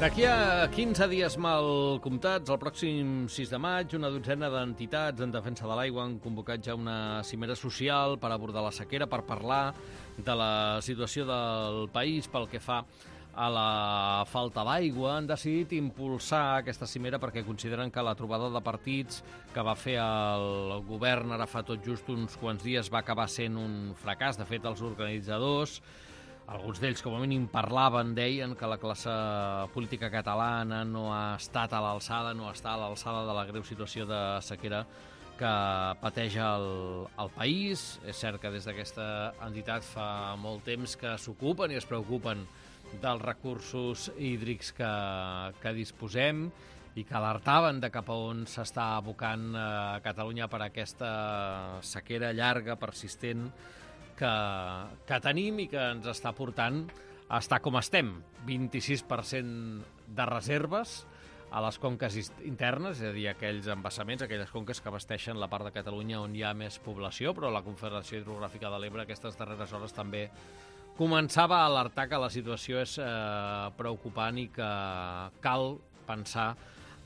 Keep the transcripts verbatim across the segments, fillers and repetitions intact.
D'aquí a quinze dies mal comptats, el pròxim sis de maig, una dotzena d'entitats en defensa de l'aigua han convocat ja una cimera social per abordar la sequera, per parlar de la situació del país pel que fa a la falta d'aigua. Han decidit impulsar aquesta cimera perquè consideren que la trobada de partits que va fer el govern ara fa tot just uns quants dies va acabar sent un fracàs. De fet, els organitzadors, alguns d'ells, com a mínim, parlaven, deien que la classe política catalana no ha estat a l'alçada, no està a l'alçada de la greu situació de sequera que pateix el, el país. És cert que des d'aquesta entitat fa molt temps que s'ocupen i es preocupen dels recursos hídrics que, que disposem i que alertaven de cap a on s'està abocant a Catalunya per aquesta sequera llarga, persistent, que, que tenim i que ens està portant a estar com estem. vint-i-sis per cent de reserves a les conques internes, és a dir, aquells embassaments, aquelles conques que abasteixen la part de Catalunya on hi ha més població, però la Confederació Hidrogràfica de l'Ebre aquestes darreres hores també començava a alertar que la situació és eh, preocupant i que cal pensar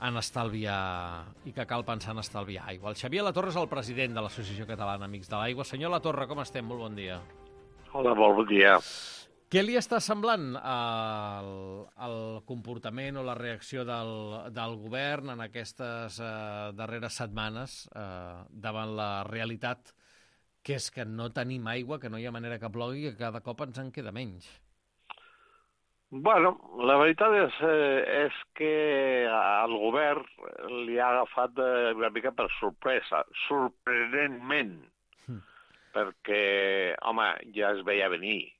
en estalviar i que cal pensar en estalviar aigua. El Xavier Latorre és el president de l'Associació Catalana Amics de l'Aigua. Senyor Latorre, com estem? Molt bon dia. Hola, molt bon dia. Què li està semblant el, el comportament o la reacció del, del govern en aquestes eh, darreres setmanes eh, davant la realitat que és que no tenim aigua, que no hi ha manera que plogui i que cada cop ens en queda menys? Bueno, la veritat és, eh, és que al govern li ha agafat eh, una mica per sorpresa, sorprenentment, mm. perquè, home, ja es veia venir.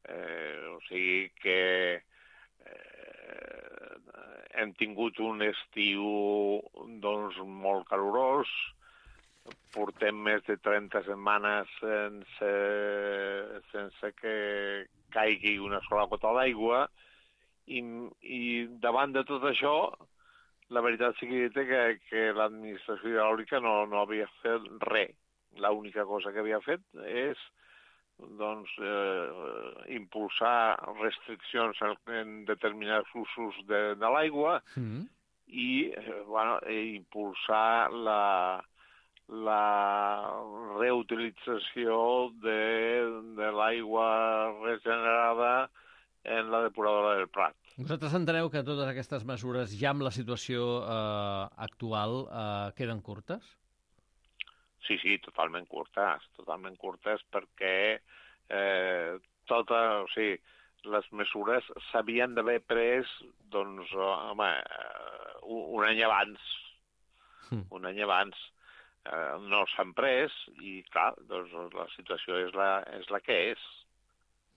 Eh, o sigui que eh, hem tingut un estiu doncs, molt calorós, portem més de trenta setmanes sense, sense que caigui una sola gota d'aigua i, i davant de tot això, la veritat sigui dita que, que l'administració hidràulica no, no havia fet res. L'única cosa que havia fet és doncs, eh, impulsar restriccions en determinats usos de, de l'aigua mm. i eh, bueno, impulsar la la reutilització de, de l'aigua regenerada en la depuradora del Prat. Vosaltres enteneu que totes aquestes mesures, ja amb la situació eh, actual, eh, queden curtes? Sí, sí, totalment curtes, totalment curtes perquè eh, tota, o sigui, les mesures s'havien d'haver pres, doncs, home, un any abans, mm. un any abans. Uh, no s'han pres i, clar, doncs la situació és la, és la que és.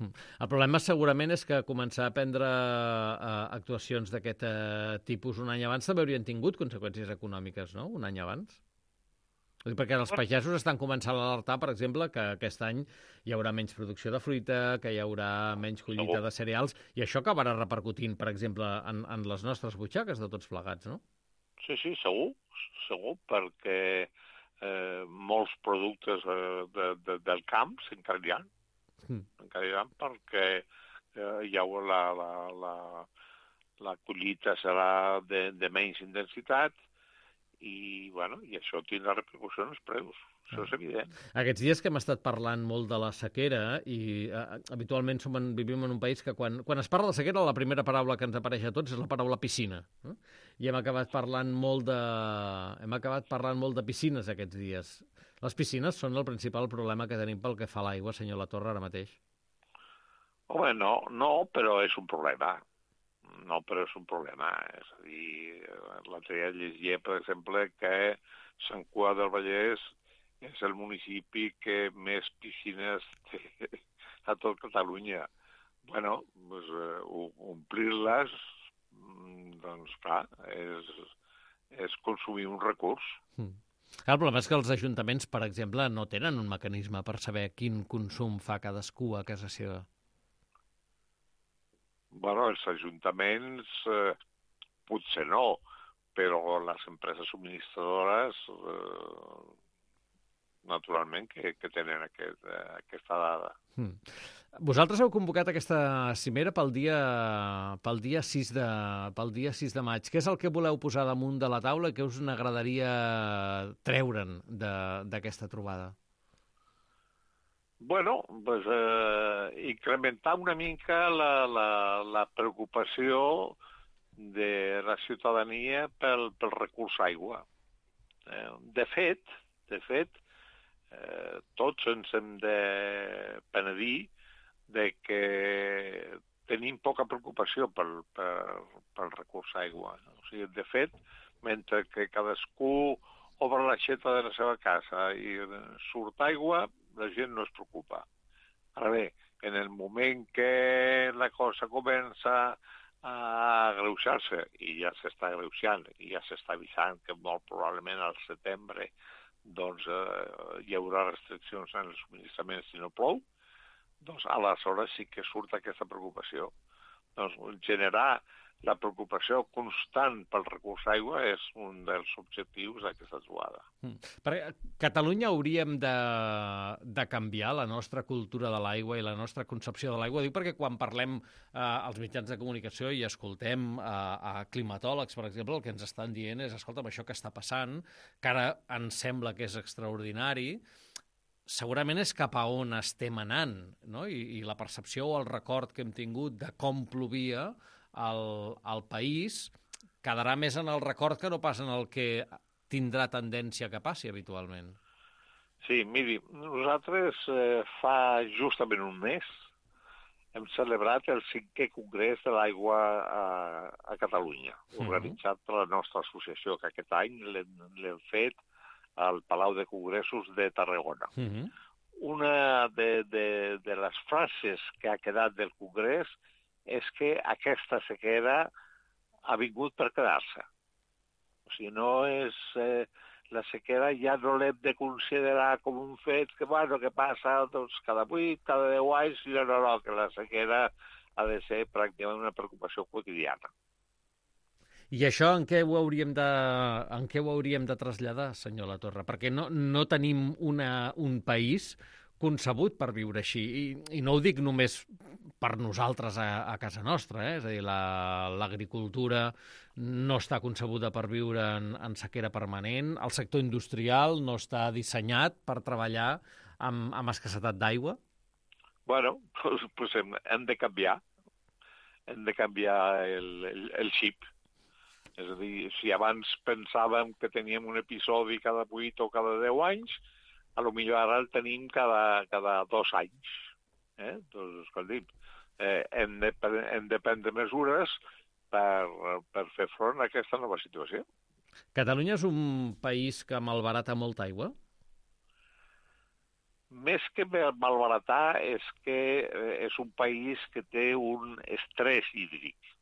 El problema segurament és que començar a prendre uh, actuacions d'aquest uh, tipus un any abans també haurien tingut conseqüències econòmiques, no?, un any abans. Perquè els pagesos estan començant a alertar, per exemple, que aquest any hi haurà menys producció de fruita, que hi haurà menys collita segur. de cereals, i això acabarà repercutint, per exemple, en, en les nostres butxaques de tots plegats, no? Sí, sí, segur, segur, perquè Eh, molts productes eh, de, de, del camp s'encarriran, mm. s'encarriran perquè eh, hi haurà la, la, la, la collita serà de, de menys intensitat i, bueno, i això tindrà repercussió en els preus. Això és evident. Aquests dies que hem estat parlant molt de la sequera i eh, habitualment som en, vivim en un país que quan, quan es parla de sequera la primera paraula que ens apareix a tots és la paraula piscina. No? I hem acabat parlant molt de hem acabat parlant molt de piscines aquests dies. Les piscines són el principal problema que tenim pel que fa a l'aigua, senyor Latorre, ara mateix. Home, no, no, però és un problema. No, però és un problema. És a dir, l'altre dia llegia, per exemple, que Sant Cugat del Vallès és el municipi que més piscines té a tot Catalunya. Bueno, doncs, uh, omplir-les, doncs, clar, és, és consumir un recurs. Mm. El problema és que els ajuntaments, per exemple, no tenen un mecanisme per saber quin consum fa cadascú a casa seva. Bueno, els ajuntaments eh, potser no, però les empreses subministradores... Eh, naturalment, que, que tenen aquest, aquesta dada. Mm. Vosaltres heu convocat aquesta cimera pel dia, pel dia sis de, pel dia sis de maig. Què és el que voleu posar damunt de la taula i què us n'agradaria treure'n d'aquesta trobada? Bueno, pues, eh, incrementar una mica la, la, la preocupació de la ciutadania pel, pel recurs aigua. Eh, de fet, de fet, eh, tots ens hem de penedir de que tenim poca preocupació pel, pel, pel recurs aigua. O sigui, de fet, mentre que cadascú obre l'aixeta de la seva casa i surt aigua, la gent no es preocupa. Ara bé, en el moment que la cosa comença a agreujar-se, i ja s'està agreujant, i ja s'està avisant que molt probablement al setembre doncs, eh, hi haurà restriccions en els subministraments si no plou, doncs aleshores sí que surt aquesta preocupació. Doncs generar la preocupació constant pel recurs aigua és un dels objectius d'aquesta trobada. Mm. Perquè a Catalunya hauríem de, de canviar la nostra cultura de l'aigua i la nostra concepció de l'aigua. Dic perquè quan parlem eh, als mitjans de comunicació i escoltem eh, a climatòlegs, per exemple, el que ens estan dient és, escolta'm, això que està passant, que ara ens sembla que és extraordinari, segurament és cap a on estem anant, no? I, i la percepció o el record que hem tingut de com plovia al, al país quedarà més en el record que no pas en el que tindrà tendència que passi habitualment. Sí, miri, nosaltres eh, fa justament un mes hem celebrat el cinquè Congrés de l'Aigua a, a Catalunya, organitzat per la nostra associació, que aquest any l'hem fet al Palau de Congressos de Tarragona. Uh-huh. Una de, de, de les frases que ha quedat del Congrés és que aquesta sequera ha vingut per quedar-se. O sigui, no és... Eh, la sequera ja no l'hem de considerar com un fet que, bueno, que passa doncs, cada vuit, cada deu anys, no, no, no, que la sequera ha de ser pràcticament una preocupació quotidiana. I això en què ho hauríem de, en què ho hauríem de traslladar, senyor Latorre? Perquè no, no tenim una, un país concebut per viure així. I, i no ho dic només per nosaltres a, a casa nostra, eh? És a dir, l'agricultura la, no està concebuda per viure en, en sequera permanent, el sector industrial no està dissenyat per treballar amb, amb escassetat d'aigua. Bueno, pues, pues hem, hem de canviar. Hem de canviar el, el, el xip. És a dir, si abans pensàvem que teníem un episodi cada vuit o cada deu anys, a lo millor ara el tenim cada, cada dos anys. Eh? Doncs, escolti'm, eh, hem, de, hem de prendre mesures per, per fer front a aquesta nova situació. Catalunya és un país que malbarata molta aigua? Més que malbaratar, és que és un país que té un estrès hídric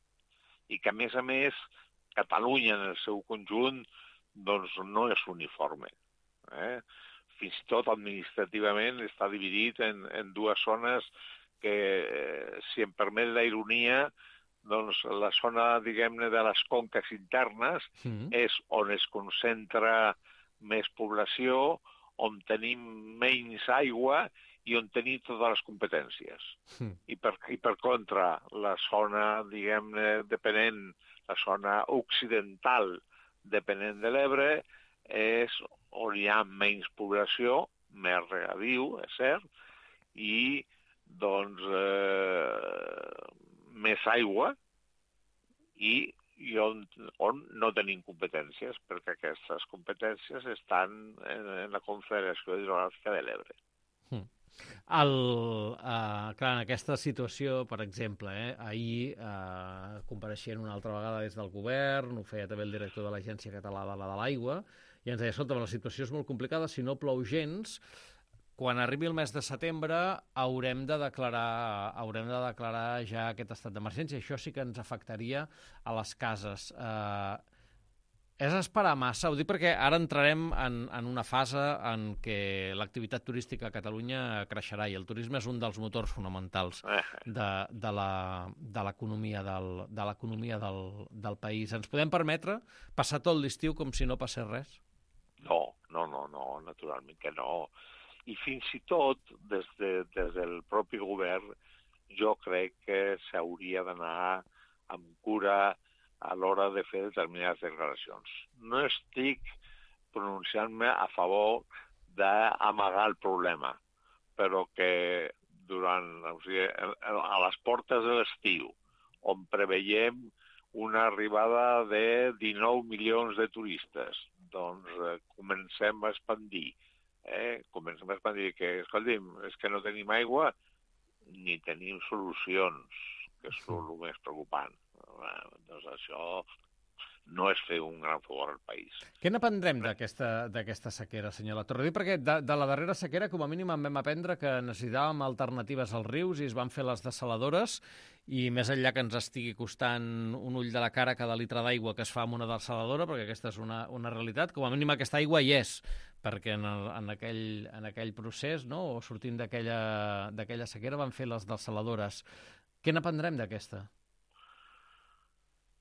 i que, a més a més, Catalunya en el seu conjunt doncs, no és uniforme. Eh? Fins i tot administrativament està dividit en, en dues zones que, eh, si em permet la ironia, doncs la zona, diguem-ne, de les conques internes mm. és on es concentra més població, on tenim menys aigua i on tenim totes les competències. Mm. I, per, I per contra, la zona, diguem-ne, depenent, la zona occidental depenent de l'Ebre, és on hi ha menys població, més regadiu, és cert, i doncs eh, més aigua i, i on, on no tenim competències, perquè aquestes competències estan en, en la Confederació Hidrogràfica de l'Ebre. Hmm. El, uh, clar, en aquesta situació, per exemple, eh, ahir uh, compareixent una altra vegada des del govern, ho feia també el director de l'Agència Catalana de l'Aigua, i ens deia, escolta, la situació és molt complicada, si no plou gens, quan arribi el mes de setembre haurem de declarar, haurem de declarar ja aquest estat d'emergència. Això sí que ens afectaria a les cases. Uh, és esperar massa, ho dic perquè ara entrarem en, en una fase en què l'activitat turística a Catalunya creixerà i el turisme és un dels motors fonamentals de, de l'economia del, de l'economia del, del país. Ens podem permetre passar tot l'estiu com si no passés res? No, No, no, no, naturalment que no. I fins i tot, des, de, des del propi govern, jo crec que s'hauria d'anar amb cura a l'hora de fer determinades declaracions. No estic pronunciant-me a favor d'amagar el problema, però que durant, o sigui, a les portes de l'estiu, on preveiem una arribada de dinou milions de turistes, doncs eh, comencem a expandir. Eh? Comencem a expandir que, escolti'm, és que no tenim aigua ni tenim solucions, que és el més preocupant. Eh, doncs això no és fer un gran favor al país. Què n'aprendrem d'aquesta sequera, senyor Latorre? Dic perquè de, de la darrera sequera, com a mínim, en vam aprendre que necessitàvem alternatives als rius i es van fer les dessaladores, i més enllà que ens estigui costant un ull de la cara cada litre d'aigua que es fa amb una dessaladora, perquè aquesta és una, una realitat, com a mínim aquesta aigua hi és, perquè en, el, en, aquell, en aquell procés, no?, o sortint d'aquella sequera, van fer les dessaladores. Què n'aprendrem d'aquesta?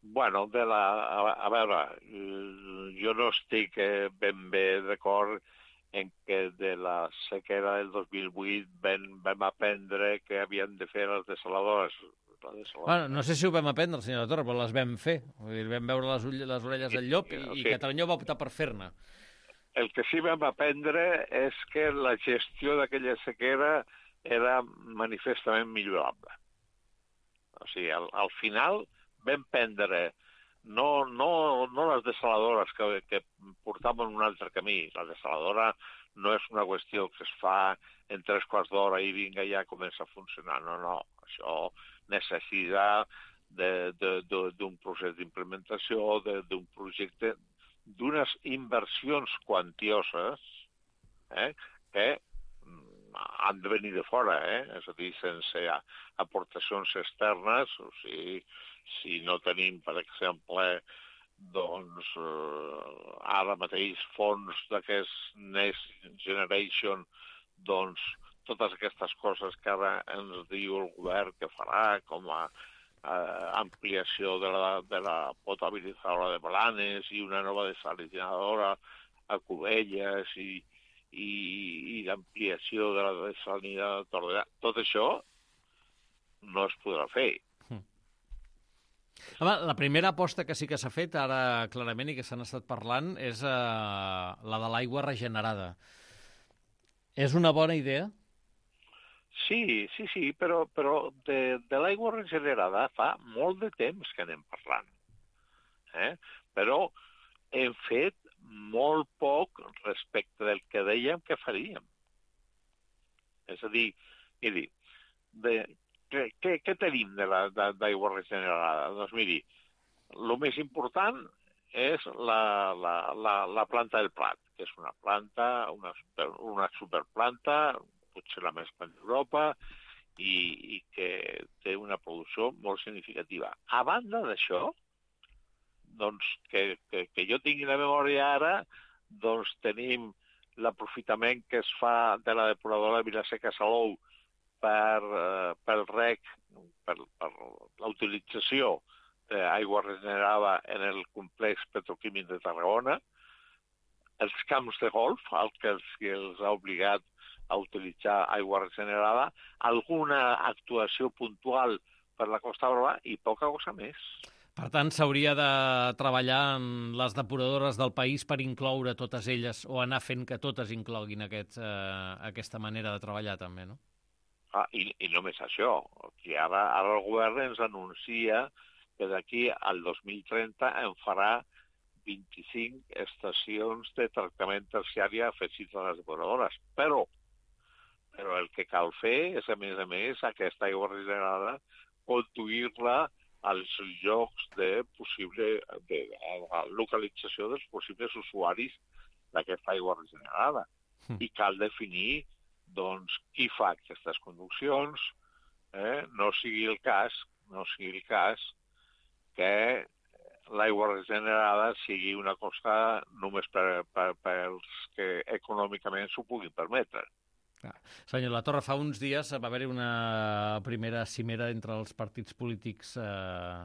Bueno, de la, a, a veure, jo no estic eh, ben bé d'acord en que de la sequera del dos mil vuit vam, vam aprendre que havien de fer les dessaladores. Bueno, no sé si ho vam aprendre, senyor Latorre, però les vam fer. Vull dir, vam veure les, ull, les orelles del llop i, i, i Catalunya va optar per fer-ne. El que sí vam aprendre és que la gestió d'aquella sequera era manifestament millorable. O sigui, al, al final vam prendre no, no, no les dessaladores que, que portaven un altre camí. La dessaladora no és una qüestió que es fa en tres quarts d'hora i vinga, ja comença a funcionar. No, no, això necessita d'un procés d'implementació, d'un projecte, d'unes inversions quantioses eh, que han de venir de fora, eh? És a dir, sense aportacions externes. O sigui, si no tenim, per exemple, doncs, eh, ara mateix fons d'aquest Next Generation, doncs, totes aquestes coses que ara ens diu el govern que farà, com a eh, ampliació de la, de la potabilitzadora de Blanes i una nova desalinadora a Cubelles i, i, i l'ampliació de la desalinadora de Tordera, tot això no es podrà fer. Home, la primera aposta que sí que s'ha fet ara clarament i que s'han estat parlant és eh, la de l'aigua regenerada. És una bona idea? Sí, sí, sí, però, però de, de l'aigua regenerada fa molt de temps que anem parlant. Eh? Però hem fet molt poc respecte del que dèiem que faríem. És a dir, miri, de, què, què, què tenim d'aigua regenerada? Doncs miri, el més important és la, la, la, la planta del Prat, que és una planta, una, super, una superplanta, potser la més gran d'Europa, i, i que té una producció molt significativa. A banda d'això, doncs, que, que, que jo tingui la memòria ara, doncs tenim l'aprofitament que es fa de la depuradora de Vilaseca-Salou per, eh, pel rec, per, per la utilització d'aigua regenerada en el complex petroquímic de Tarragona, els camps de golf, el que els, que els ha obligat a utilitzar aigua regenerada, alguna actuació puntual per la Costa Brava i poca cosa més. Per tant, s'hauria de treballar en les depuradores del país per incloure totes elles, o anar fent que totes incloguin aquest, eh, aquesta manera de treballar també, no? Ah, i, i només això, que ara, ara el govern ens anuncia que d'aquí al dos mil trenta en farà vint-i-cinc estacions de tractament terciari afegits a les depuradores. Però, però el que cal fer és, a més a més, aquesta aigua regenerada, conduir-la als llocs de possible de, de la localització dels possibles usuaris d'aquesta aigua regenerada. Mm. I cal definir doncs, qui fa aquestes conduccions, eh? no sigui el cas, no sigui el cas que l'aigua regenerada sigui una cosa només per, per, per als que econòmicament s'ho puguin permetre. Senyor Latorre, fa uns dies va haver-hi una primera cimera entre els partits polítics eh,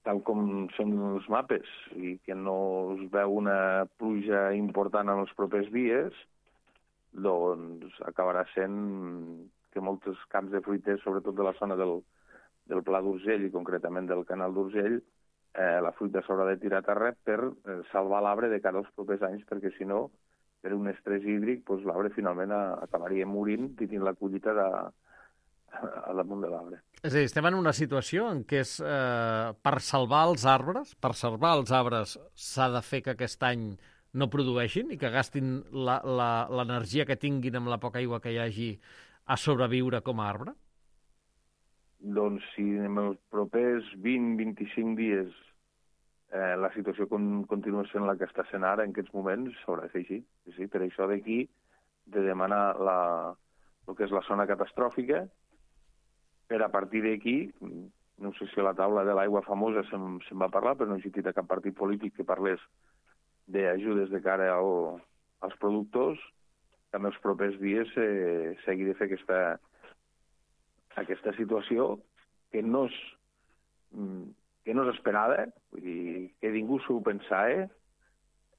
tal com són els mapes, i que no es veu una pluja important en els propers dies, doncs acabarà sent que molts camps de fruiters, sobretot de la zona del, del Pla d'Urgell i concretament del Canal d'Urgell, eh, la fruita s'haurà de tirar a terra per eh, salvar l'arbre de cara als propers anys, perquè si no, per un estrès hídric, doncs l'arbre finalment a, acabaria morint, tenint la collita de, a damunt de l'arbre. És a dir, estem en una situació en què és, eh, per salvar els arbres, per salvar els arbres s'ha de fer que aquest any no produeixin i que gastin l'energia que tinguin amb la poca aigua que hi hagi a sobreviure com a arbre? Doncs si en els propers vint a vint-i-cinc dies eh, la situació con continua sent la que està sent ara en aquests moments, s'haurà de fer així. Sí, per això d'aquí de demanar la, el que és la zona catastròfica, per a partir d'aquí, no sé si a la taula de l'aigua famosa se'n se va parlar, però no he sentit a cap partit polític que parlés d'ajudes de cara al, als productors, que en els propers dies eh, s'hagi de fer aquesta, aquesta situació que no és, que no és esperada, vull dir, que ningú s'ho pensava,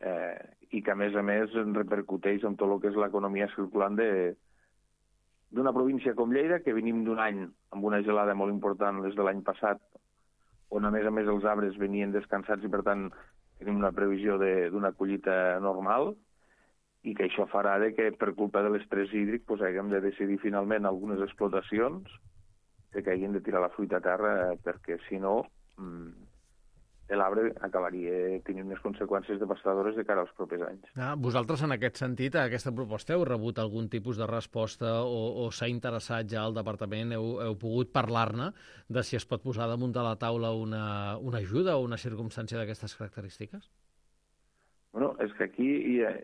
eh, i que a més a més repercuteix en tot el que és l'economia circulant de d'una província com Lleida, que venim d'un any amb una gelada molt important, les de l'any passat, on a més a més els arbres venien descansats i per tant tenim una previsió d'una collita normal, i que això farà de que per culpa de l'estrès hídric pues, haguem de decidir finalment algunes explotacions que hagin de tirar la fruita a terra, perquè si no l'arbre acabaria tenint unes conseqüències devastadores de cara als propers anys. Ah, vosaltres, en aquest sentit, a aquesta proposta heu rebut algun tipus de resposta o, o s'ha interessat ja al departament? Heu, heu pogut parlar-ne de si es pot posar damunt de la taula una, una ajuda o una circumstància d'aquestes característiques? Bueno, és que aquí hi ha,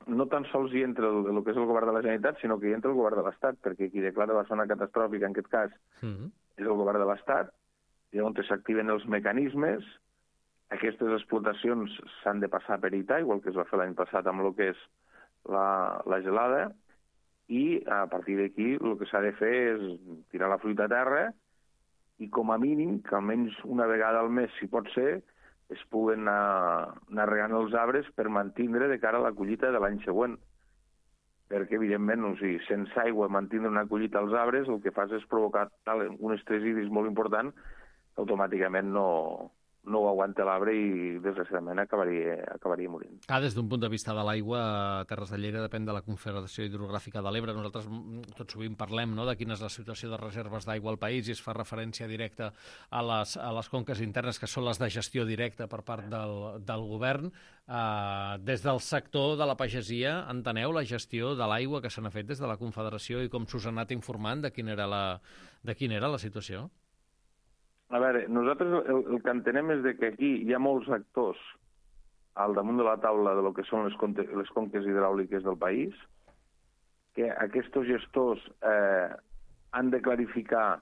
no tan sols hi entra el, el que és el govern de la Generalitat, sinó que hi entra el govern de l'Estat, perquè qui declara la zona catastròfica, en aquest cas, mm-hmm. és el govern de l'Estat, i on s'activen els mecanismes. Aquestes explotacions s'han de passar per I T A, igual que es va fer l'any passat amb el que és la, la gelada, i a partir d'aquí el que s'ha de fer és tirar la fruita a terra i com a mínim, que almenys una vegada al mes, si pot ser, es puguen anar, anar regant els arbres per mantindre de cara a la collita de l'any següent. Perquè, evidentment, o sigui, sense aigua mantindre una collita als arbres, el que fas és provocar tal, un estrès hídric molt important que automàticament no... no ho aguanta l'arbre i, desgraciadament, acabaria, acabaria morint. Ah, des d'un punt de vista de l'aigua, Terres de Lleida depèn de la Confederació Hidrogràfica de l'Ebre. Nosaltres tot sovint parlem, no?, de quina és la situació de reserves d'aigua al país i es fa referència directa a les, a les conques internes, que són les de gestió directa per part del, del govern. Uh, des del sector de la pagesia, enteneu la gestió de l'aigua que se n'ha fet des de la Confederació i com s'us ha anat informant de quina era la, de quina era la situació? A veure, nosaltres el, el que entenem és de que aquí hi ha molts actors al damunt de la taula de lo que són les, contes, les conques hidràuliques del país, que aquests gestors eh, han de clarificar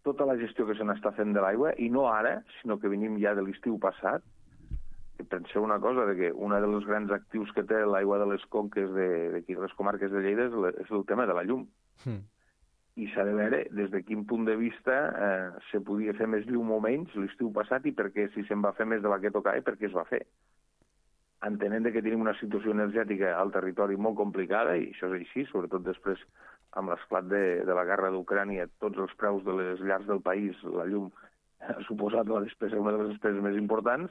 tota la gestió que se n'està fent de l'aigua, i no ara, sinó que venim ja de l'estiu passat. I penseu una cosa, de que un dels grans actius que té l'aigua de les conques de, de les comarques de Lleida és, le, és el tema de la llum. Mm. I s'ha de veure des de quin punt de vista eh, se podia fer més llum o menys l'estiu passat i perquè si se'n va fer més de la que tocava i per què es va fer. Entenent que tenim una situació energètica al territori molt complicada, i això és així, sobretot després amb l'esclat de, de la guerra d'Ucrània, tots els preus de les llars del país, la llum ha suposat la despesa, una de les despeses més importants,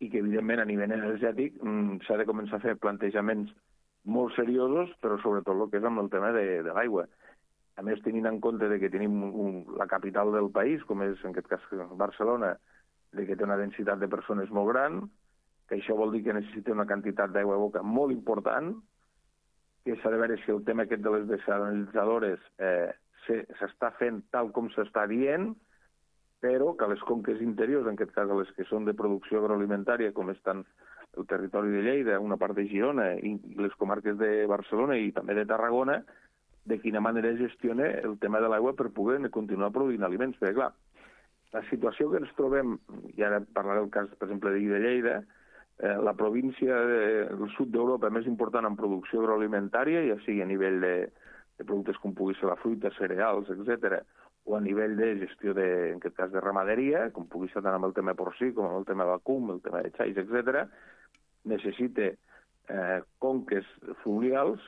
i que evidentment a nivell energètic mm, s'ha de començar a fer plantejaments molt seriosos, però sobretot el que és amb el tema de, de l'aigua. A més, tenint en compte de que tenim un, la capital del país, com és en aquest cas Barcelona, de que té una densitat de persones molt gran, que això vol dir que necessita una quantitat d'aigua a boca molt important, que s'ha de veure si el tema aquest de les desalinitzadores eh, s'està fent tal com s'està dient, però que les conques interiors, en aquest cas les que són de producció agroalimentària, com estan el territori de Lleida, una part de Girona i les comarques de Barcelona i també de Tarragona, de quina manera es gestiona el tema de l'aigua per poder continuar produint aliments. Perquè, clar, la situació que ens trobem, i ara parlaré del cas, per exemple, de Lleida, eh, la província del sud d'Europa més important en producció agroalimentària, ja sigui a nivell de, de productes com pugui ser la fruita, cereals, etcètera, o a nivell de gestió, de, en aquest cas, de ramaderia, com pugui ser tant amb el tema porcí, com amb el tema vacum, el tema de xais, etcètera, necessita eh, conques fluvials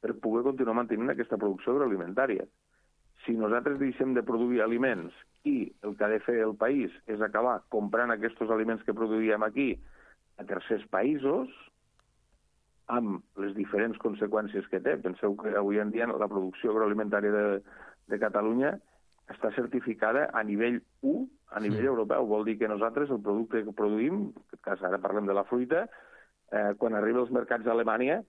per poder continuar mantenint aquesta producció agroalimentària. Si nosaltres deixem de produir aliments i el que ha de fer el país és acabar comprant aquests aliments que produïem aquí a tercers països, amb les diferents conseqüències que té. Penseu que avui en dia la producció agroalimentària de, de Catalunya està certificada a nivell u, a nivell sí. europeu. Vol dir que nosaltres el producte que produïm, en aquest cas ara parlem de la fruita, eh, quan arriba als mercats d'Alemanya,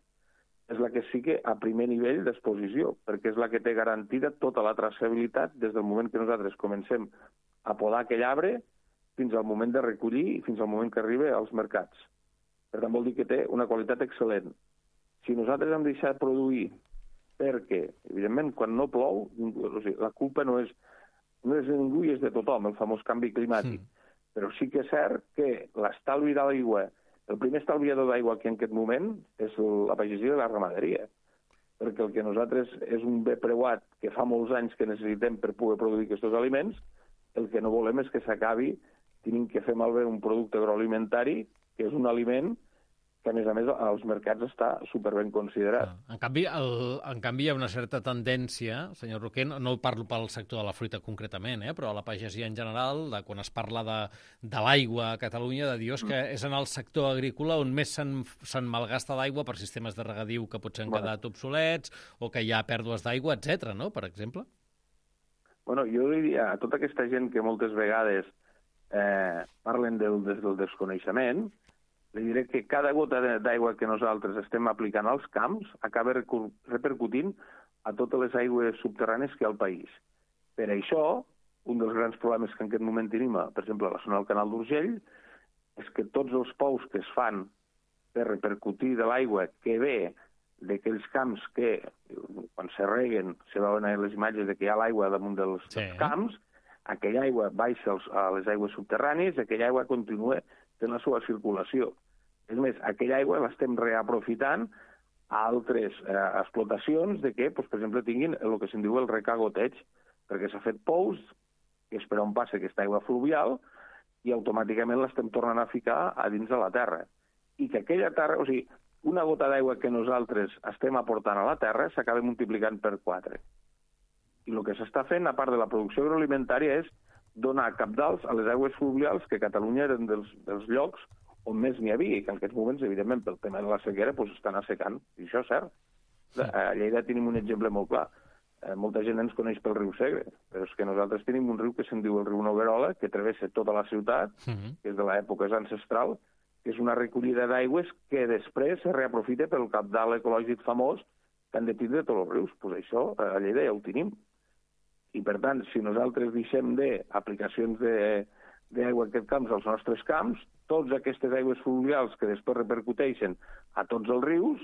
és la que sí que a primer nivell d'exposició, perquè és la que té garantida tota la traçabilitat des del moment que nosaltres comencem a podar aquell arbre fins al moment de recollir i fins al moment que arriba als mercats. Per tant, vol dir que té una qualitat excel·lent. Si nosaltres hem deixat produir perquè, evidentment, quan no plou, o sigui, la culpa no és, no és de ningú i és de tothom, el famós canvi climàtic. Sí. Però sí que és cert que l'estalvi de l'aigua, el primer estalviador d'aigua aquí en aquest moment és la pagesia i la ramaderia. Perquè el que nosaltres és un bé preuat que fa molts anys que necessitem per poder produir aquests aliments, el que no volem és que s'acabi tenint que fer malbé un producte agroalimentari que és un aliment que, a més a més, als mercats està superben considerat. En canvi, el, en canvi, hi ha una certa tendència, senyor Roquer, no parlo pel sector de la fruita concretament, eh, però a la pagesia en general, de quan es parla de, de l'aigua a Catalunya, de dir que és en el sector agrícola on més se'n se malgasta d'aigua per sistemes de regadiu que potser han quedat obsolets o que hi ha pèrdues d'aigua, etcètera, no?, per exemple? Bueno, jo diria a tota aquesta gent que moltes vegades eh, parlen del, del desconeixement, li diré que cada gota d'aigua que nosaltres estem aplicant als camps acaba repercutint a totes les aigües subterrànies que hi ha al país. Per això, un dels grans problemes que en aquest moment tenim, per exemple, a la zona del Canal d'Urgell, és que tots els pous que es fan per repercutir de l'aigua que ve d'aquells camps que, quan se reguen, se veuen a les imatges de que hi ha l'aigua damunt dels, sí. dels camps, aquella aigua baixa a les aigües subterrànies i aquella aigua continua fent la seva circulació. És més, aquella aigua l'estem reaprofitant a altres eh, explotacions de que, doncs, per exemple, tinguin el que se'n diu el recagoteig, perquè s'ha fet pous, que és per on passa aquesta aigua fluvial, i automàticament l'estem tornant a ficar a dins de la terra. I que aquella terra, o sigui, una gota d'aigua que nosaltres estem aportant a la terra s'acaba multiplicant per quatre. I el que s'està fent, a part de la producció agroalimentària, és donar cabdals a les aigües fluvials, que Catalunya eren dels, dels llocs on més n'hi havia, i que en aquests moments, evidentment, pel tema de la sequera, doncs estan assecant, i això és cert. Sí. A Lleida tenim un exemple molt clar. Eh, molta gent ens coneix pel riu Segre, però és que nosaltres tenim un riu que se'n diu el riu Noguerola, que travessa tota la ciutat, uh-huh. que és de l'època ancestral, que és una recollida d'aigües que després se reaprofita pel cabdal ecològic famós que han de tindre tots els rius. Doncs això a Lleida ja ho tenim. I, per tant, si nosaltres deixem d'aplicacions d'aigua en aquest camps als nostres camps, totes aquestes aigües fluvials que després repercuteixen a tots els rius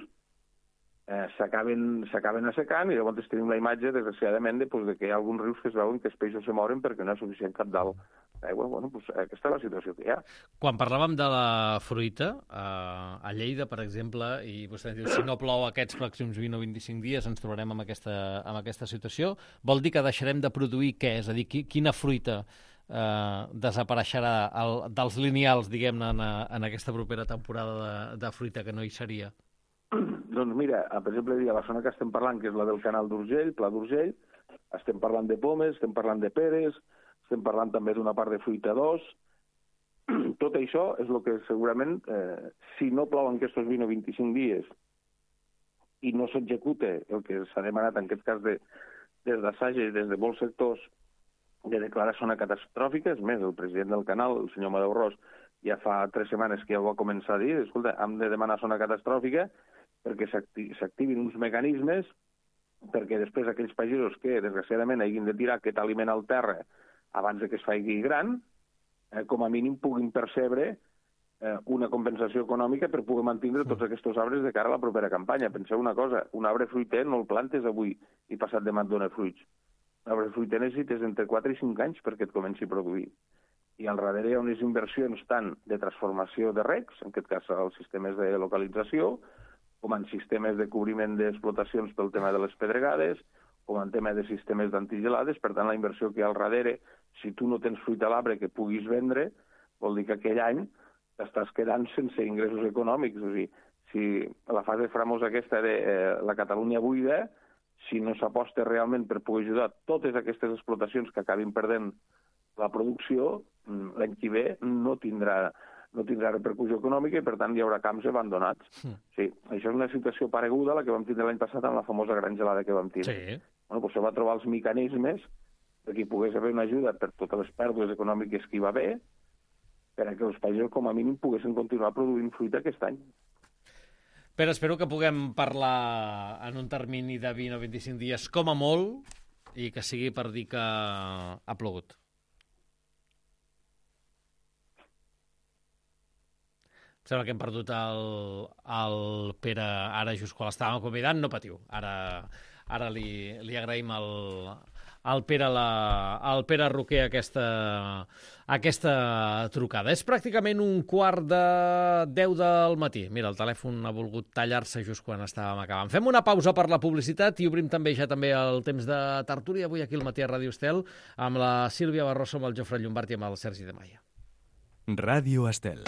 eh, s'acaben assecant i llavors tenim la imatge, desgraciadament, de, pues, de que hi ha alguns rius que es veuen que els peixos se moren perquè no hi ha suficient cabdal d'aigua. Bueno, pues, aquesta és la situació que hi ha. Quan parlàvem de la fruita, eh, a Lleida, per exemple, i vostè diu, si no plou aquests pròxims vint o vint-i-cinc dies ens trobarem amb aquesta, amb aquesta situació, vol dir que deixarem de produir què? És a dir, quina fruita eh, desapareixerà el, dels lineals, diguem-ne, en, en aquesta propera temporada de, de fruita que no hi seria? Doncs mira, per exemple, a la zona que estem parlant, que és la del Canal d'Urgell, Pla d'Urgell, estem parlant de pomes, estem parlant de peres, estem parlant també d'una part de fruita d'os. Tot això és el que segurament, eh, si no plouen aquests vint o vint-i-cinc dies i no s'executa el que s'ha demanat, en aquest cas de, des d'Assage i des de molts sectors, de declarar zona catastròfica, és més, el president del canal, el senyor Amadeu Ros, ja fa tres setmanes que ja ho va començar a dir, escolta, hem de demanar zona catastròfica perquè s'activin uns mecanismes perquè després aquells pagesos que, desgraciadament, hagin de tirar aquest aliment al terra abans que es faci gran, eh, com a mínim puguin percebre eh, una compensació econòmica per poder mantenir tots aquests arbres de cara a la propera campanya. Penseu una cosa, un arbre fruiter no el plantes avui i passat demà et dona fruits. Un arbre fruiter necessites entre quatre i cinc anys perquè et comenci a produir. I al darrere hi ha unes inversions tant de transformació de recs, en aquest cas els sistemes de localització, com en sistemes de cobriment d'explotacions pel tema de les pedregades, com en tema de sistemes d'antigelades. Per tant, la inversió que hi ha al darrere, si tu no tens fruit a l'arbre que puguis vendre, vol dir que aquell any t'estàs quedant sense ingressos econòmics. O sigui, si la fase famosa aquesta de eh, la Catalunya buida, si no s'aposta realment per poder ajudar totes aquestes explotacions que acabin perdent la producció, l'any que ve no tindrà, no tindrà repercussió econòmica i, per tant, hi haurà camps abandonats. Mm. Sí, això és una situació pareguda a la que vam tindre l'any passat amb la famosa gran gelada que vam tindre. Sí. Bueno, doncs se va trobar els mecanismes perquè hi pogués haver una ajuda per totes les pèrdues econòmiques que hi va haver, perquè els països, com a mínim, poguessin continuar produint fruita aquest any. Però espero que puguem parlar en un termini de vint o vint-i-cinc dies, com a molt, i que sigui per dir que ha plogut. Em sembla que hem perdut el, el Pere ara just quan l'estàvem convidant. No patiu, ara, ara li, li agraïm el, el Pere, la, el Pere Roquer aquesta, aquesta trucada. És pràcticament un quart de deu del matí. Mira, el telèfon ha volgut tallar-se just quan estàvem acabant. Fem una pausa per la publicitat i obrim també ja també el temps de tertúlia avui aquí al Matí a Ràdio Estel amb la Sílvia Barroso, amb el Jofre Llombart i amb el Sergi de Maia. Ràdio Estel.